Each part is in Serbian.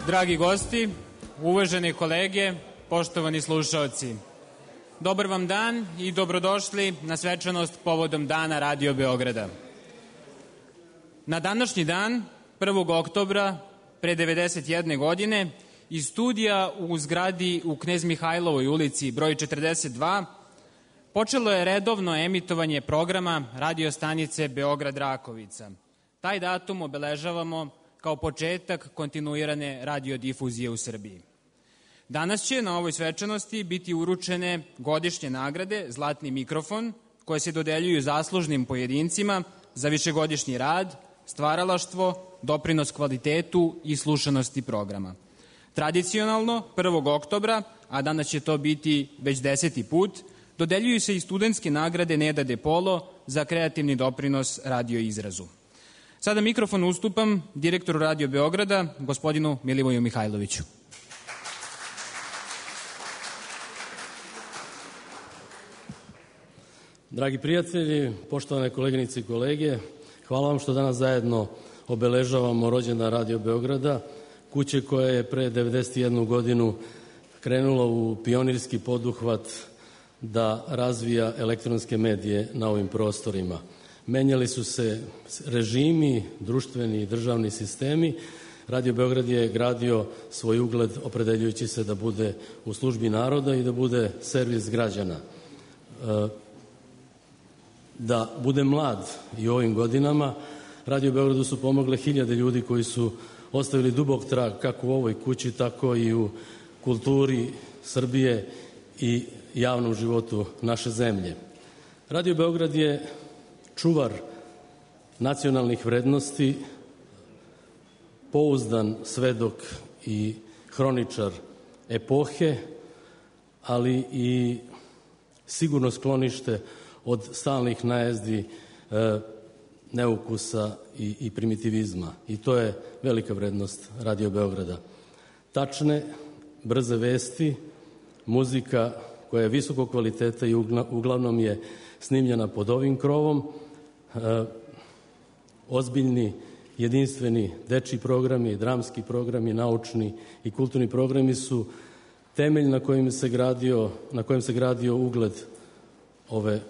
Dragi gosti, uvažene kolege, poštovani slušaoci, dobar vam dan i dobrodošli na svečanost povodom Dana Radio Beograda. Na današnji dan, 1. oktobra, pre 91 godine, iz studija u zgradi u Knez Mihajlovoj ulici broj 42 počelo je redovno emitovanje programa radio stanice Beograd Rakovica. Taj datum obeležavamo kao početak kontinuirane radiodifuzije u Srbiji. Danas će na ovoj svečanosti biti uručene godišnje nagrade Zlatni mikrofon, koje se dodeljuju zaslužnim pojedincima za višegodišnji rad, stvaralaštvo, doprinos kvalitetu i slušanosti programa. Tradicionalno, 1. oktobra, a danas će to biti već 10. put, dodeljuju se i studentske nagrade Neda De Polo za kreativni doprinos radioizrazu. Sada mikrofon ustupam direktoru Radio Beograda, gospodinu Milivoju Mihajloviću. Dragi prijatelji, poštovane koleginice i kolege, hvala vam što danas zajedno obeležavamo rođendan Radio Beograda, kuće koja je pre 91 godinu krenula u pionirski poduhvat da razvija elektronske medije na ovim prostorima. Menjali su se režimi, društveni i državni sistemi. Radio Beograd je gradio svoj ugled opredeljujući se da bude u službi naroda i da bude servis građana. Da bude mlad i u ovim godinama, Radio Beogradu su pomogle hiljade ljudi koji su ostavili dubok trag kako u ovoj kući, tako i u kulturi Srbije i javnom životu naše zemlje. Radio Beograd je čuvar nacionalnih vrednosti, pouzdan svedok i hroničar epohe, ali i sigurno sklonište od stalnih najezdi neukusa i primitivizma. I to je velika vrednost Radio Beograda. Tačne, brze vesti, muzika koja je visokog kvaliteta i uglavnom je snimljena pod ovim krovom, ozbiljni, jedinstveni dečji programi, dramski programi, naučni i kulturni programi su temelj na kojem se gradio ugled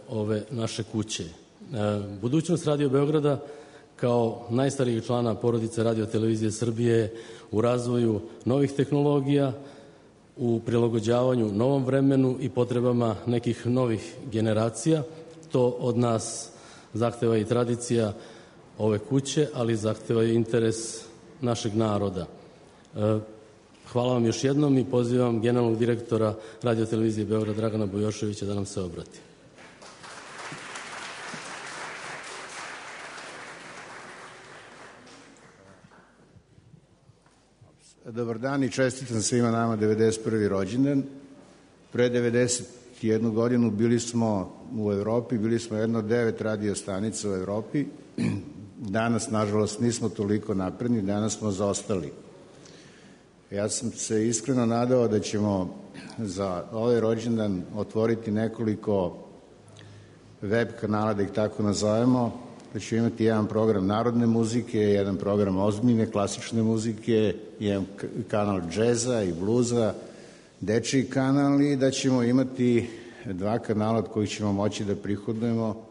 ove naše kuće. Budućnost Radio Beograda kao najstarijeg člana porodice Radio televizije Srbije u razvoju novih tehnologija, u prilagođavanju novom vremenu i potrebama nekih novih generacija. To od nas zahteva i tradicija ove kuće, ali zahteva i interes našeg naroda. Hvala vam još jednom i pozivam generalnog direktora Radio televizije Beograd Dragana Bujoševića da nam se obrati. Dobar dan i čestitam svima nama 91. rođendan. Pre 91 godinu bili smo u Evropi, bili smo jedna od 9 radio stanica u Evropi. Danas, nažalost, nismo toliko napredni, danas smo zaostali. Ja sam se iskreno nadao da ćemo za ovaj rođendan otvoriti nekoliko web kanala, da ih tako nazovemo, da ćemo imati jedan program narodne muzike, jedan program ozbiljne klasične muzike, jedan kanal džeza i bluza, dečiji kanal i da ćemo imati 2 kanala od kojih ćemo moći da prihodujemo,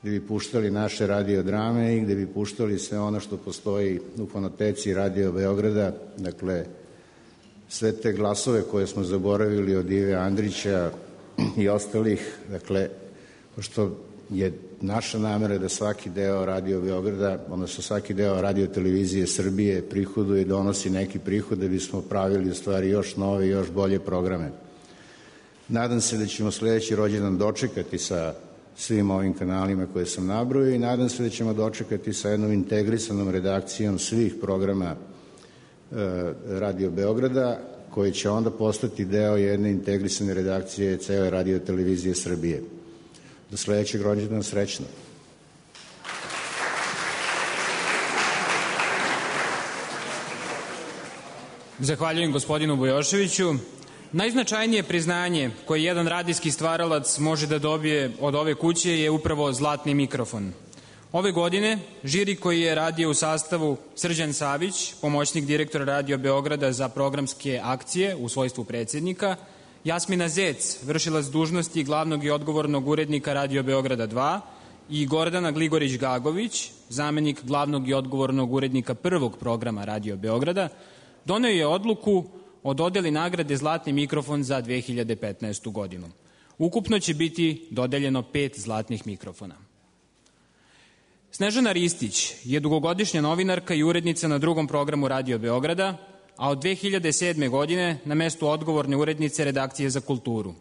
gde bi puštali naše radiodrame i gde bi puštali sve ono što postoji u fonoteci Radio Beograda, dakle sve te glasove koje smo zaboravili od Ive Andrića i ostalih, dakle, pošto je naša namera da svaki deo Radio Beograda, odnosno svaki deo Radio televizije Srbije prihoduje i donosi neki prihod da bismo pravili u stvari još nove i još bolje programe. Nadam se da ćemo sledeći rođendan dočekati sa svim ovim kanalima koje sam nabrojio i nadam se da ćemo dočekati sa jednom integrisanom redakcijom svih programa Radio Beograda, koji će onda postati deo jedne integrisane redakcije cele Radio televizije Srbije. Do sledećeg rođendana, srećno. Zahvaljujem gospodinu Bujoševiću. Najznačajnije priznanje koje jedan radijski stvaralac može da dobije od ove kuće je upravo zlatni mikrofon. Ove godine žiri koji je radio u sastavu Srđan Savić, pomoćnik direktora Radio Beograda za programske akcije u svojstvu predsjednika, Jasmina Zec, vršilac dužnosti glavnog i odgovornog urednika Radio Beograda 2 i Gordana Gligorić-Gagović, zamenik glavnog i odgovornog urednika prvog programa Radio Beograda, doneo je odluku o dodeli nagrade Zlatni mikrofon za 2015. godinu. Ukupno će biti dodeljeno 5 zlatnih mikrofona. Snežana Ristić je dugogodišnja novinarka i urednica na drugom programu Radio Beograda, a od 2007. godine na mestu odgovorne urednice redakcije za kulturu.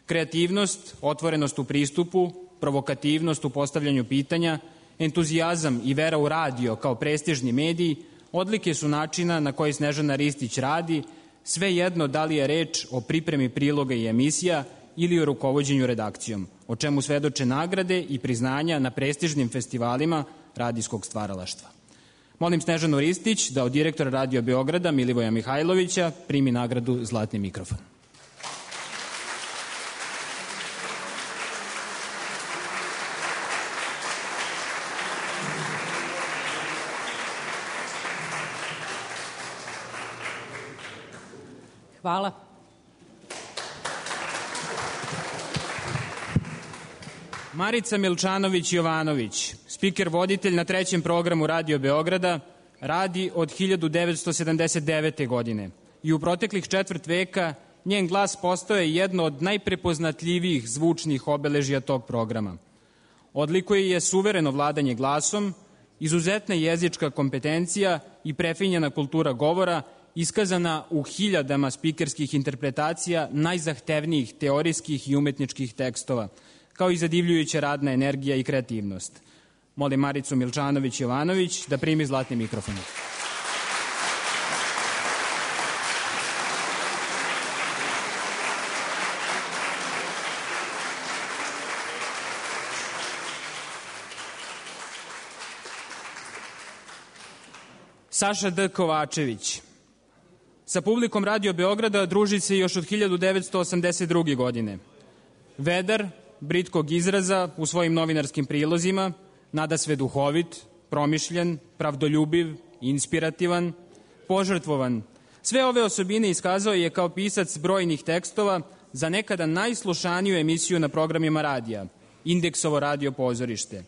Kreativnost, otvorenost u pristupu, provokativnost u postavljanju pitanja, entuzijazam i vera u radio kao prestižni mediji odlike su načina na koji Snežana Ristić radi, svejedno da li je reč o pripremi priloga i emisija ili o rukovođenju redakcijom, o čemu svedoče nagrade i priznanja na prestižnim festivalima radijskog stvaralaštva. Molim Snežanu Ristić da od direktora Radio Beograda Milivoja Mihajlovića primi nagradu Zlatni mikrofon. Hvala. Marica Milčanović-Jovanović, spiker voditelj na trećem programu Radio Beograda, radi od 1979. godine i u proteklih četvrt veka njen glas postao je jedno od najprepoznatljivijih zvučnih obeležja tog programa. Odlikuje je suvereno vladanje glasom, izuzetna jezička kompetencija i prefinjena kultura govora iskazana u hiljadama spikerskih interpretacija najzahtevnijih teorijskih i umetničkih tekstova, kao i zadivljujuća radna energija i kreativnost. Molim Maricu Milčanović-Jovanović da primi zlatni mikrofon. Saša D. Kovačević. Sa publikom Radio Beograda druži se još od 1982. godine. Vedar, britkog izraza u svojim novinarskim prilozima, nadasve duhovit, promišljen, pravdoljubiv, inspirativan, požrtvovan. Sve ove osobine iskazao je kao pisac brojnih tekstova za nekada najslušaniju emisiju na programima radija, Indeksovo radio pozorište,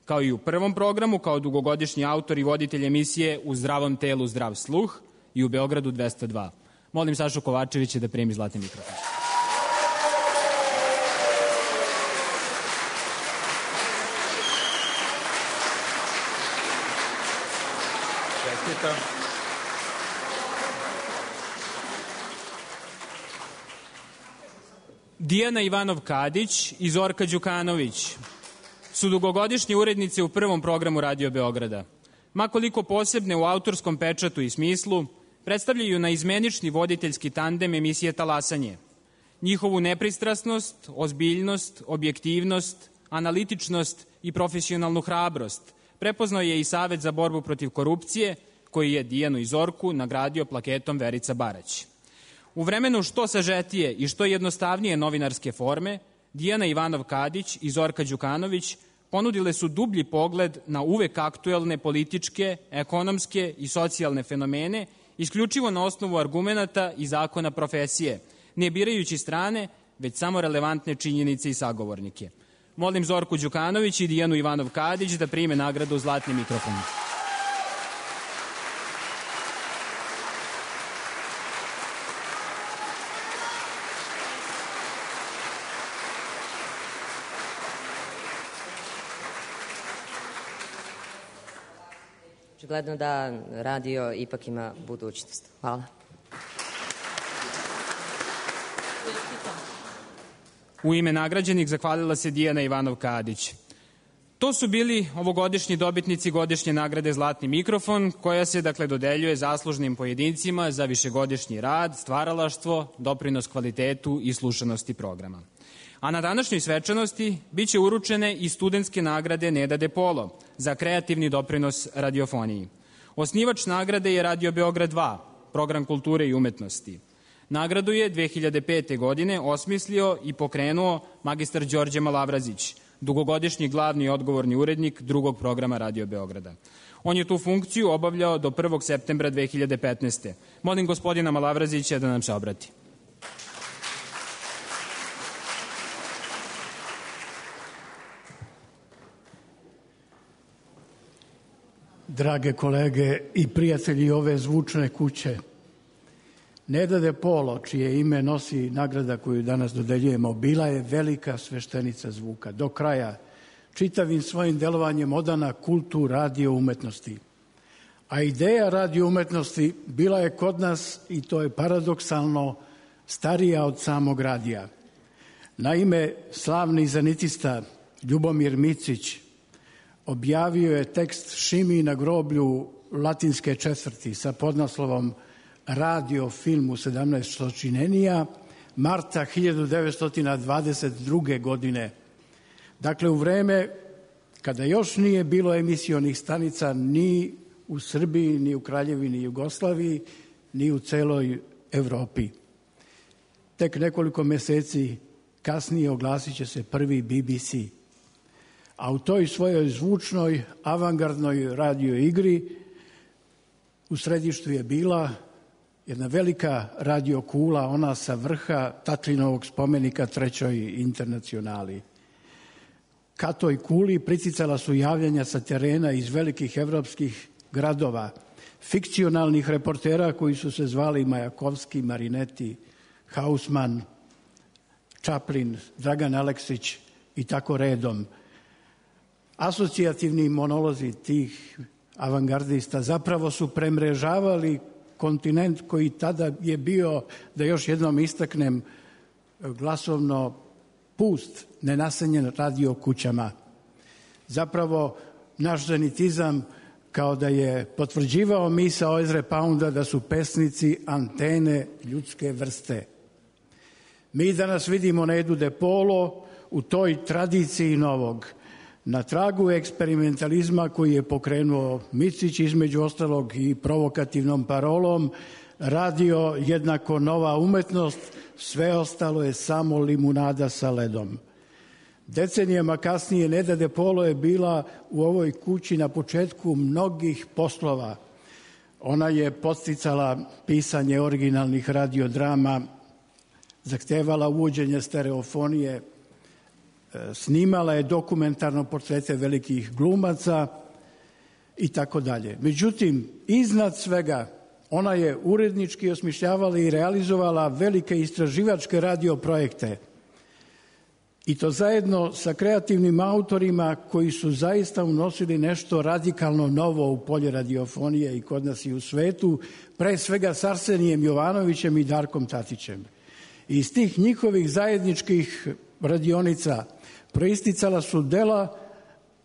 kao i u prvom programu kao dugogodišnji autor i voditelj emisije U zdravom telu zdrav sluh i u Beogradu 202. Molim Sašu Kovačevića da primi zlatni mikrofon. Dijana Ivanov-Kadić i Zorka Đukanović su dugogodišnje urednice u prvom programu Radio Beograda. Makoliko posebne u autorskom pečatu i smislu, predstavljaju naizmenični voditeljski tandem emisije Talasanje. Njihovu nepristrasnost, ozbiljnost, objektivnost, analitičnost i profesionalnu hrabrost prepoznao je i Savet za borbu protiv korupcije, koji je Dijanu i Zorku nagradio plaketom Verica Barać. U vremenu što sažetije i što jednostavnije novinarske forme, Dijana Ivanov-Kadić i Zorka Đukanović ponudile su dublji pogled na uvek aktuelne političke, ekonomske i socijalne fenomene, isključivo na osnovu argumenata i zakona profesije, ne birajući strane, već samo relevantne činjenice i sagovornike. Molim Zorku Đukanović i Dijanu Ivanov-Kadić da prime nagradu Zlatni mikrofon. Očigledno da radio ipak ima budućnost. Hvala. U ime nagrađenih zahvalila se Dijana Ivanov-Kadić. To su bili ovogodišnji dobitnici godišnje nagrade Zlatni mikrofon, koja se dodeljuje zaslužnim pojedincima za višegodišnji rad, stvaralaštvo, doprinos kvalitetu i slušanosti programa. A na današnjoj svečanosti biće uručene i studentske nagrade Neda De Polo za kreativni doprinos radiofoniji. Osnivač nagrade je Radio Beograd 2, program kulture i umetnosti. Nagradu je 2005. godine osmislio i pokrenuo magistar Đorđe Malavrazić, dugogodišnji glavni i odgovorni urednik drugog programa Radio Beograda. On je tu funkciju obavljao do 1. septembra 2015. Molim gospodina Malavrazića da nam se obrati. Drage kolege i prijatelji ove zvučne kuće, Neda De Polo, čije ime nosi nagrada koju danas dodeljujemo, bila je velika sveštenica zvuka. Do kraja, čitavim svojim delovanjem odana kultu radio umetnosti. A ideja radio umetnosti bila je kod nas, i to je paradoksalno, starija od samog radija. Naime, slavni zanitista Ljubomir Micić objavio je tekst Šimi na groblju Latinske četvrti sa podnaslovom Radio film u 17 stočinenija marta 1922. godine. Dakle, u vreme kada još nije bilo emisionih stanica ni u Srbiji, ni u Kraljevini Jugoslaviji, ni u celoj Evropi. Tek nekoliko meseci kasnije oglasit će se prvi BBC. A u toj svojoj zvučnoj, avangardnoj radio igri u središtu je bila jedna velika radio kula, ona sa vrha Tatlinovog spomenika Trećoj internacionali. Ka toj kuli priticala su javljanja sa terena iz velikih evropskih gradova, fikcionalnih reportera koji su se zvali Majakovski, Marinetti, Hausman, Čaplin, Dragan Aleksić i tako redom. Asocijativni monolozi tih avangardista zapravo su premrežavali kontinent koji tada je bio, da još jednom istaknem, glasovno pust, nenaseljen radio kućama. Zapravo, naš zanitizam kao da je potvrđivao misao Ezre Pounda da su pesnici antene ljudske vrste. Mi danas vidimo Nedu De Polo u toj tradiciji novog, na tragu eksperimentalizma koji je pokrenuo Micić, između ostalog i provokativnom parolom radio jednako nova umetnost, sve ostalo je samo limunada sa ledom. Decenijama kasnije Neda De Polo je bila u ovoj kući na početku mnogih poslova. Ona je podsticala pisanje originalnih radiodrama, zahtevala uvođenje stereofonije, snimala je dokumentarno portrete velikih glumaca i tako dalje. Međutim, iznad svega, ona je urednički osmišljavala i realizovala velike istraživačke radioprojekte. I to zajedno sa kreativnim autorima koji su zaista unosili nešto radikalno novo u polje radiofonije i kod nas i u svetu, pre svega s Arsenijem Jovanovićem i Darkom Tatićem. I iz tih njihovih zajedničkih radionica proisticala su dela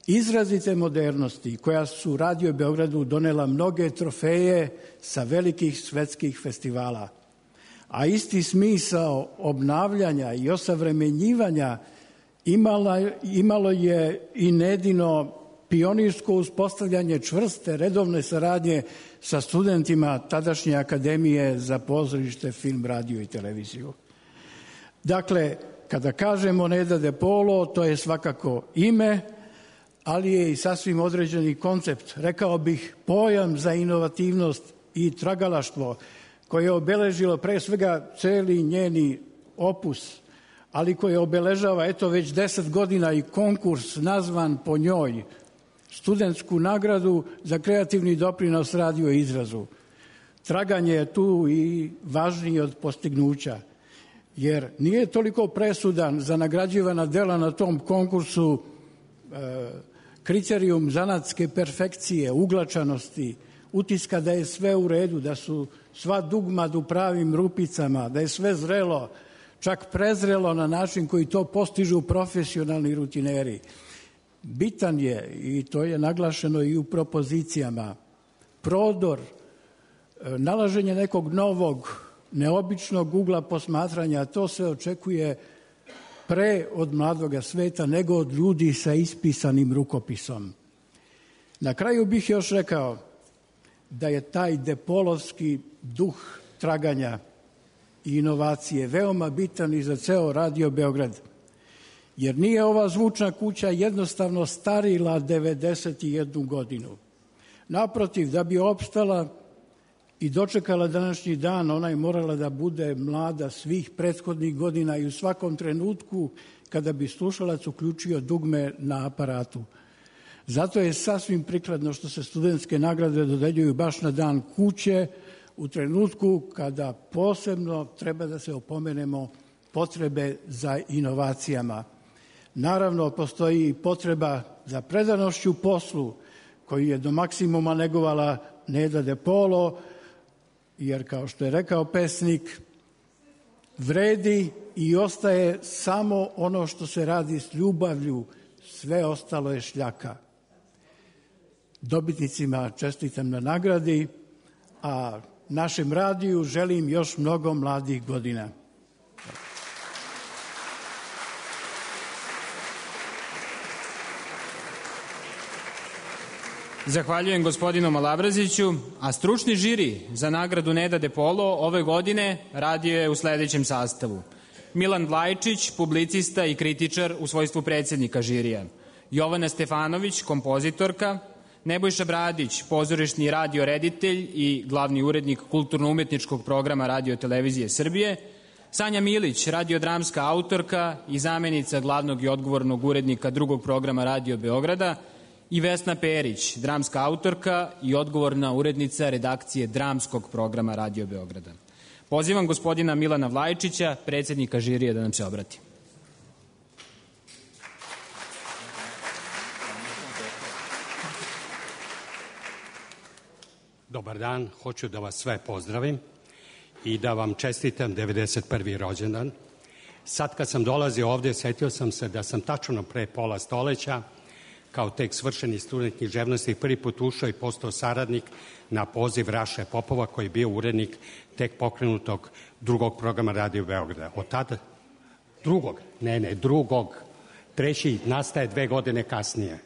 izrazite modernosti koja su Radio Beogradu donela mnoge trofeje sa velikih svetskih festivala. A isti smisao obnavljanja i osavremenjivanja imalo je i Nedino pionirsko uspostavljanje čvrste redovne saradnje sa studentima tadašnje Akademije za pozorište, film, radio i televiziju. Dakle, kada kažemo Neda De Polo, to je svakako ime, ali je i sasvim određeni koncept, rekao bih pojam za inovativnost i tragalaštvo koje je obeležilo pre svega celi njeni opus, ali koje obeležava eto već 10 godina i konkurs nazvan po njoj, studentsku nagradu za kreativni doprinos radio izrazu. Traganje je tu i važnije od postignuća, jer nije toliko presudan za nagrađivana dela na tom konkursu kriterijum zanatske perfekcije, uglačanosti, utiska da je sve u redu, da su sva dugmad u pravim rupicama, da je sve zrelo, čak prezrelo na način koji to postižu profesionalni rutineri. Bitan je, i to je naglašeno i u propozicijama, prodor, nalaženje nekog novog, neobičnog ugla posmatranja, to se očekuje pre od mladoga sveta nego od ljudi sa ispisanim rukopisom. Na kraju bih još rekao da je taj depolovski duh traganja i inovacije veoma bitan i za ceo Radio Beograd. jer nije ova zvučna kuća jednostavno starila 91 godinu. Naprotiv, da bi opstala i dočekala današnji dan, ona je morala da bude mlada svih prethodnih godina i u svakom trenutku kada bi slušalac uključio dugme na aparatu. Zato je sasvim prikladno što se studentske nagrade dodeljuju baš na dan kuće, u trenutku kada posebno treba da se opomenemo potrebe za inovacijama. Naravno, postoji potreba za predanošću poslu, koju je do maksimuma negovala Neda De Polo, jer kao što je rekao pesnik, vredi i ostaje samo ono što se radi s ljubavlju, sve ostalo je šljaka. Dobitnicima čestitam na nagradi, a našem radiju želim još mnogo mladih godina. Zahvaljujem gospodinu Malabraziću, a stručni žiri za nagradu Neda De Polo ove godine radio je u sledećem sastavu. Milan Vlajčić, publicista i kritičar u svojstvu predsjednika žirija. Jovana Stefanović, kompozitorka. Nebojša Bradić, pozorišni radio reditelj i glavni urednik kulturno-umetničkog programa Radio Televizije Srbije. Sanja Milić, radiodramska autorka i zamenica glavnog i odgovornog urednika drugog programa Radio Beograda. I Vesna Perić, dramska autorka i odgovorna urednica redakcije dramskog programa Radio Beograda. Pozivam gospodina Milana Vlajčića, predsjednika žirija, da nam se obrati. Dobar dan, hoću da vas sve pozdravim i da vam čestitam 91. rođendan. Sad kad sam dolazio ovde, setio sam se da sam tačno pre pola stoleća, kao tek svršeni student književnosti, prvi put ušao i postao saradnik na poziv Raše Popova, koji je bio urednik tek pokrenutog drugog programa Radio Beograda. Od tada, drugog, treći nastaje 2 godine kasnije,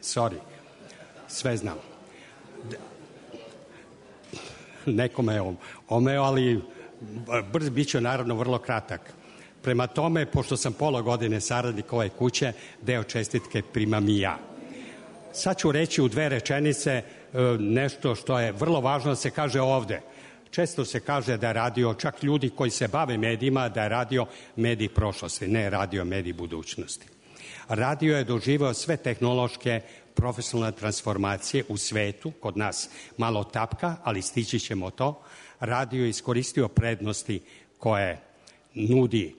sve znam. Nekome je omeo, ali bit će naravno vrlo kratak. Prema tome, pošto sam pola godine saradnik ove kuće, deo čestitke primam i ja. Sad ću reći u 2 rečenice nešto što je vrlo važno da se kaže ovde. Često se kaže da je radio, čak ljudi koji se bave medijima, da je radio medij prošlosti, ne radio medij budućnosti. Radio je doživao sve tehnološke profesionalne transformacije u svetu, kod nas malo tapka, ali stići ćemo to. Radio je iskoristio prednosti koje nudi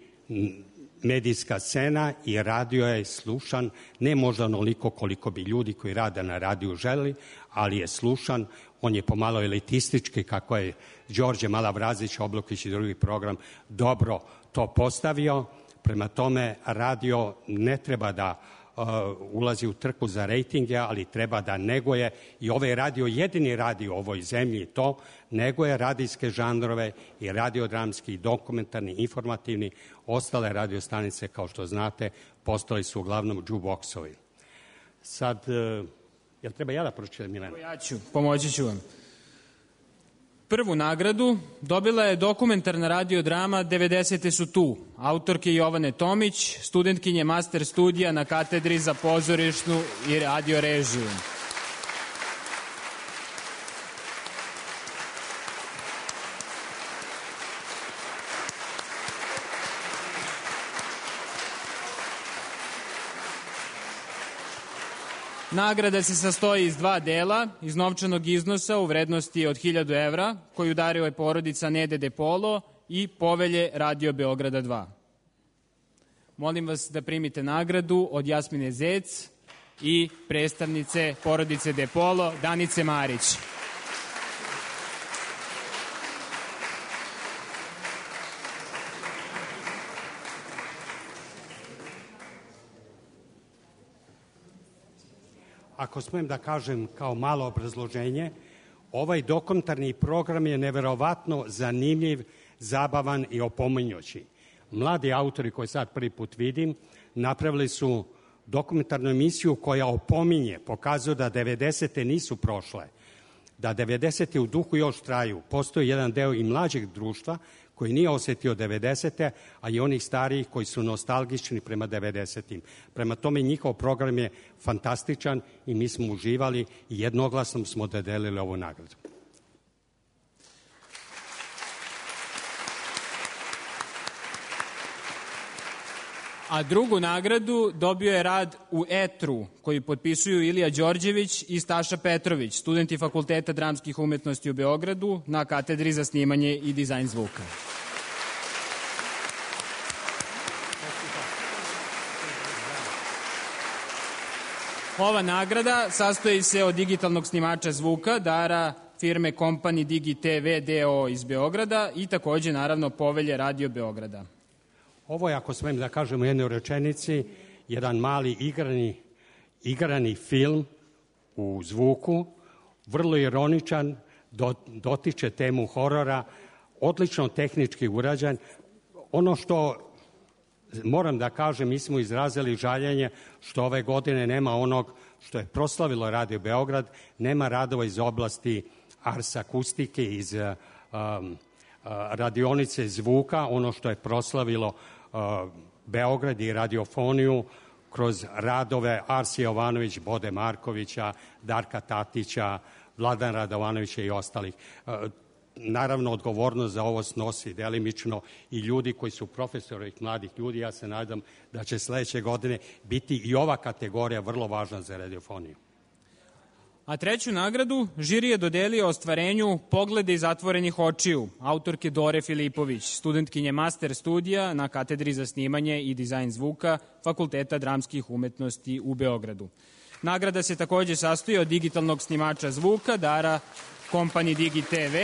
medijska scena i radio je slušan, ne možda onoliko koliko bi ljudi koji rade na radiju želi, ali je slušan. On je pomalo elitistički, kako je Đorđe Malabrazić, Oblokić i drugi program dobro to postavio. Prema tome, radio ne treba da ulazi u trku za rejtinge, ali treba da neguje, i ovaj radio jedini radio u ovoj zemlji to, neguje radijske žanrove i radiodramski, i dokumentarni, informativni. Ostale radiostanice, kao što znate, postali su uglavnom džuboksovi. Sad, jel treba ja da pročitam, Milena? Ja ću, pomoći ću vam. Prvu nagradu dobila je dokumentarna radiodrama 90. su tu, autorke Jovane Tomić, studentkinje master studija na katedri za pozorišnu i radiorežiju. Nagrada se sastoji iz 2 dela, iz novčanog iznosa u vrednosti od 1000 evra, koju daruje porodica Nede De Polo, i povelje Radio Beograda 2. Molim vas da primite nagradu od Jasmine Zec i predstavnice porodice De Polo, Danice Marić. Ako smijem da kažem kao malo obrazloženje, ovaj dokumentarni program je neverovatno zanimljiv, zabavan i opominjući. Mladi autori koje sad prvi put vidim napravili su dokumentarnu emisiju koja opominje, pokazuje da 90. nisu prošle, da 90. u duhu još traju. Postoji jedan deo i mlađeg društva koji nije osetio 90. a i onih starijih koji su nostalgični prema 90. Prema tome, njihov program je fantastičan i mi smo uživali i jednoglasno smo dodelili ovu nagradu. A drugu nagradu dobio je rad u etru koji potpisuju Ilija Đorđević i Staša Petrović, studenti Fakulteta dramskih umetnosti u Beogradu na katedri za snimanje i dizajn zvuka. Ova nagrada sastoji se od digitalnog snimača zvuka, dara firme Company Digi TV DO iz Beograda i takođe, naravno, povelje Radio Beograda. Ovo je, ako smem da kažem u jednoj rečenici, jedan mali igrani film u zvuku, vrlo ironičan, dotiče temu horora, odlično tehnički urađen. Ono što moram da kažem, mi smo izrazili žaljenje što ove godine nema onog što je proslavilo Radio Beograd, nema radova iz oblasti ars akustike, iz radionice zvuka, ono što je proslavilo Beograd i radiofoniju kroz radove Arsije Jovanović, Bode Markovića, Darka Tatića, Vladan Radovanovića i ostalih. Naravno, odgovornost za ovo snosi delimično i ljudi koji su profesori ovih mladih ljudi. Ja se nadam da će sledeće godine biti i ova kategorija vrlo važna za radiofoniju. A treću nagradu žiri je dodelio ostvarenju Poglede iz zatvorenih očiju, autorke Dore Filipović, studentkinje master studija na katedri za snimanje i dizajn zvuka Fakulteta dramskih umetnosti u Beogradu. Nagrada se takođe sastoji od digitalnog snimača zvuka, dara Company Digi TV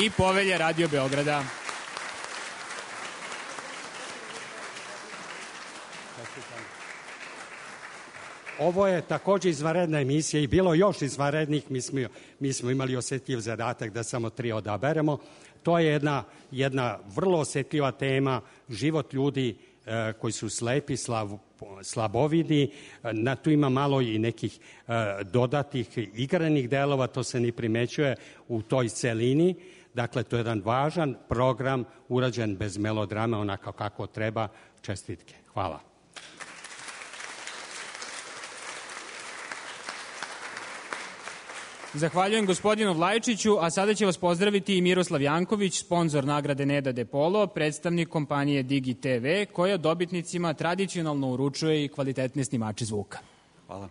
i povelje Radio Beograda. Ovo je takođe izvanredna emisija i bilo još izvanrednih, mi smo imali osetljiv zadatak da samo 3 odaberemo. To je jedna vrlo osetljiva tema, život ljudi koji su slepi, slabovidi. Tu ima malo i nekih dodatih igranih delova, to se ni primećuje u toj celini. Dakle, to je jedan važan program urađen bez melodrame, onako kako treba. Čestitke. Hvala. Zahvaljujem gospodinu Vlajčiću, a sada će vas pozdraviti i Miroslav Janković, sponsor nagrade Neda De Polo, predstavnik kompanije Digi TV, koja dobitnicima tradicionalno uručuje i kvalitetne snimače zvuka. Hvala.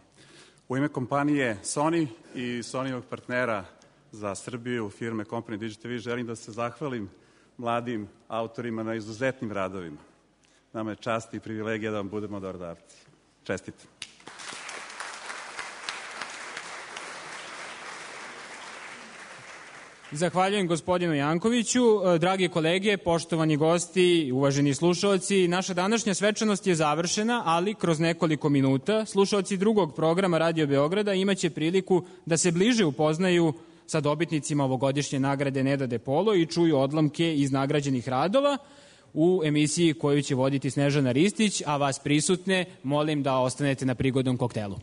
U ime kompanije Sony i Sonyovog partnera za Srbiju, firme Company Digi TV, želim da se zahvalim mladim autorima na izuzetnim radovima. Nama je čast i privilegija da vam budemo dobrodavci. Čestitam. Zahvaljujem gospodinu Jankoviću. Dragi kolege, poštovani gosti, uvaženi slušaoci, naša današnja svečanost je završena, ali kroz nekoliko minuta slušaoci drugog programa Radio Beograda imaće priliku da se bliže upoznaju sa dobitnicima ovogodišnje nagrade Neda De Polo i čuju odlomke iz nagrađenih radova u emisiji koju će voditi Snežana Ristić, a vas prisutne molim da ostanete na prigodnom koktelu.